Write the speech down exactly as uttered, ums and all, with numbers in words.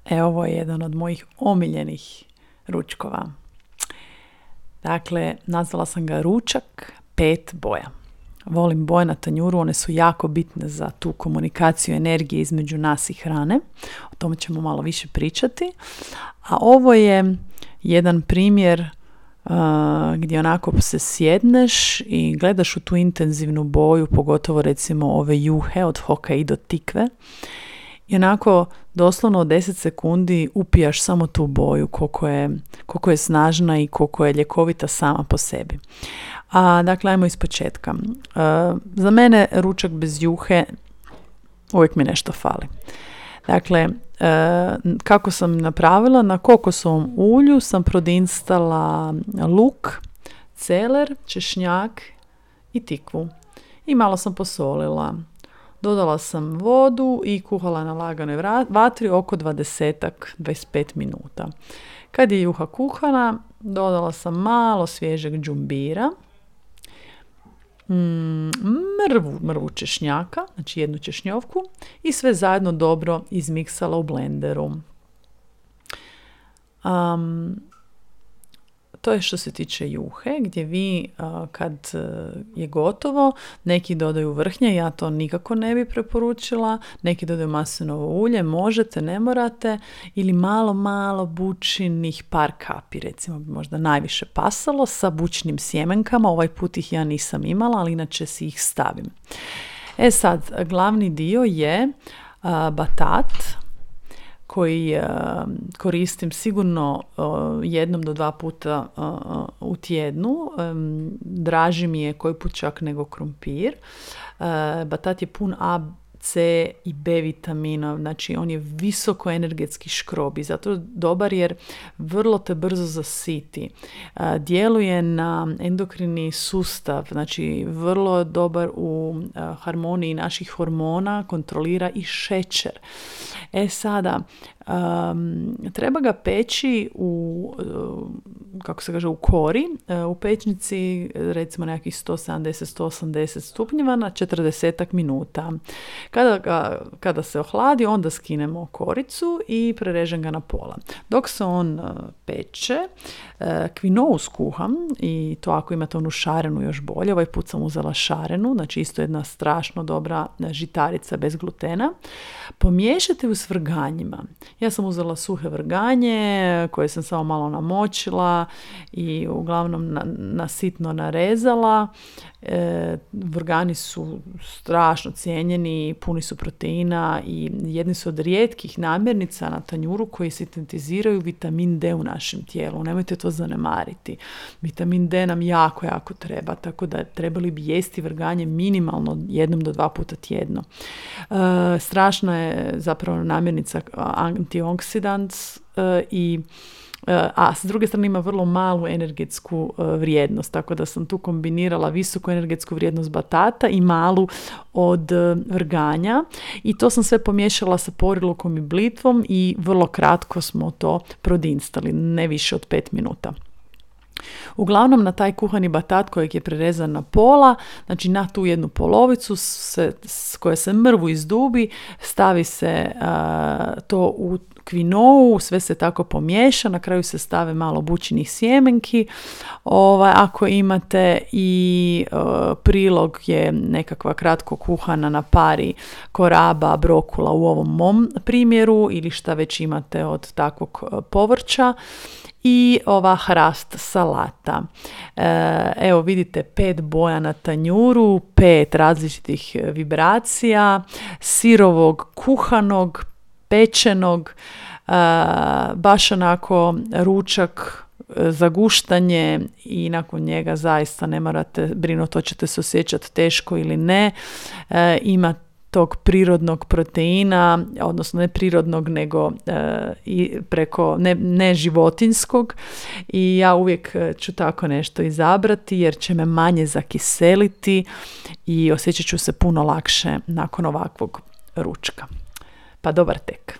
E, ovo je jedan od mojih omiljenih ručkova. Dakle, nazvala sam ga ručak pet boja. Volim boje na tanjuru, one su jako bitne za tu komunikaciju energije između nas i hrane. O tome ćemo malo više pričati. A ovo je jedan primjer uh, gdje onako se sjedneš i gledaš u tu intenzivnu boju, pogotovo recimo ove juhe od Hokkaido tikve. I onako doslovno od deset sekundi upijaš samo tu boju, koliko je, koliko je snažna i koliko je ljekovita sama po sebi. A, dakle, ajmo iz početka. Uh, za mene ručak bez juhe uvijek mi nešto fali. Dakle, uh, kako sam napravila, na kokosovom ulju sam prodinstala luk, celer, češnjak i tikvu. I malo sam posolila. Dodala sam vodu i kuhala na laganoj vatri oko dvadeset do dvadeset pet minuta. Kad je juha kuhana, dodala sam malo svježeg džumbira, mm, mrvu, mrvu češnjaka, znači jednu češnjovku i sve zajedno dobro izmiksala u blenderu. Um, To je što se tiče juhe, gdje vi a, kad a, je gotovo, neki dodaju vrhnje, ja to nikako ne bi preporučila, neki dodaju maslinovo ulje, možete, ne morate, ili malo, malo bućinih par kapi, recimo bi možda najviše pasalo sa bućinim sjemenkama, ovaj put ih ja nisam imala, ali inače si ih stavim. E sad, glavni dio je a, batat, koji uh, koristim sigurno uh, jednom do dva puta uh, u tjednu. Um, draži mi je koji put čak nego krumpir. Uh, batat je pun A, C i B vitamina, znači on je visoko energetski škrob i zato dobar jer vrlo te brzo zasiti. Uh, djeluje na endokrini sustav, znači vrlo dobar u uh, harmoniji naših hormona, kontrolira i šećer. E sada, um, treba ga peći u, uh, kako se kaže, u kori, uh, u pećnici recimo nekakvih sto sedamdeset do sto osamdeset stupnjeva na četrdeset minuta. Kada, ga, kada se ohladi, onda skinemo koricu i prerežem ga na pola. Dok se on uh, peče, uh, kvinou skuham i to ako imate onu šarenu još bolje. Ovaj put sam uzela šarenu, znači isto jedna strašno dobra žitarica bez glutena. Pomiješate u s vrganjima. Ja sam uzela suhe vrganje koje sam samo malo namočila i uglavnom na, na sitno narezala. E, vrgani su strašno cijenjeni, puni su proteina i jedni su od rijetkih namirnica na tanjuru koji sintetiziraju vitamin D u našem tijelu. Nemojte to zanemariti. Vitamin D nam jako, jako treba, tako da trebali bi jesti vrganje minimalno jednom do dva puta tjedno. E, strašna je zapravo namirnica antioksidant e, i a s druge strane ima vrlo malu energetsku vrijednost, tako da sam tu kombinirala visoku energetsku vrijednost batata i malu od vrganja i to sam sve pomiješala sa porilukom i blitvom i vrlo kratko smo to prodinstali, ne više od pet minuta. Uglavnom na taj kuhani batat kojeg je prerezan na pola, znači na tu jednu polovicu se, s koje se mrvu izdubi, stavi se a, to u kvinou, sve se tako pomiješa, na kraju se stave malo bućinih sjemenki. Ovaj, ako imate i uh, prilog je nekakva kratko kuhana na pari koraba, brokula u ovom mom primjeru ili šta već imate od takvog uh, povrća. I ova hrast salata. E, evo vidite pet boja na tanjuru, pet različitih vibracija, sirovog, kuhanog, pečenog, e, baš onako ručak za guštanje i nakon njega zaista ne morate brinuti hoćete se osjećati teško ili ne. E, ima tog prirodnog proteina, odnosno ne prirodnog nego e, i preko ne, ne životinjskog i ja uvijek ću tako nešto izabrati jer će me manje zakiseliti i osjećat ću se puno lakše nakon ovakvog ručka. Pa dobar tek.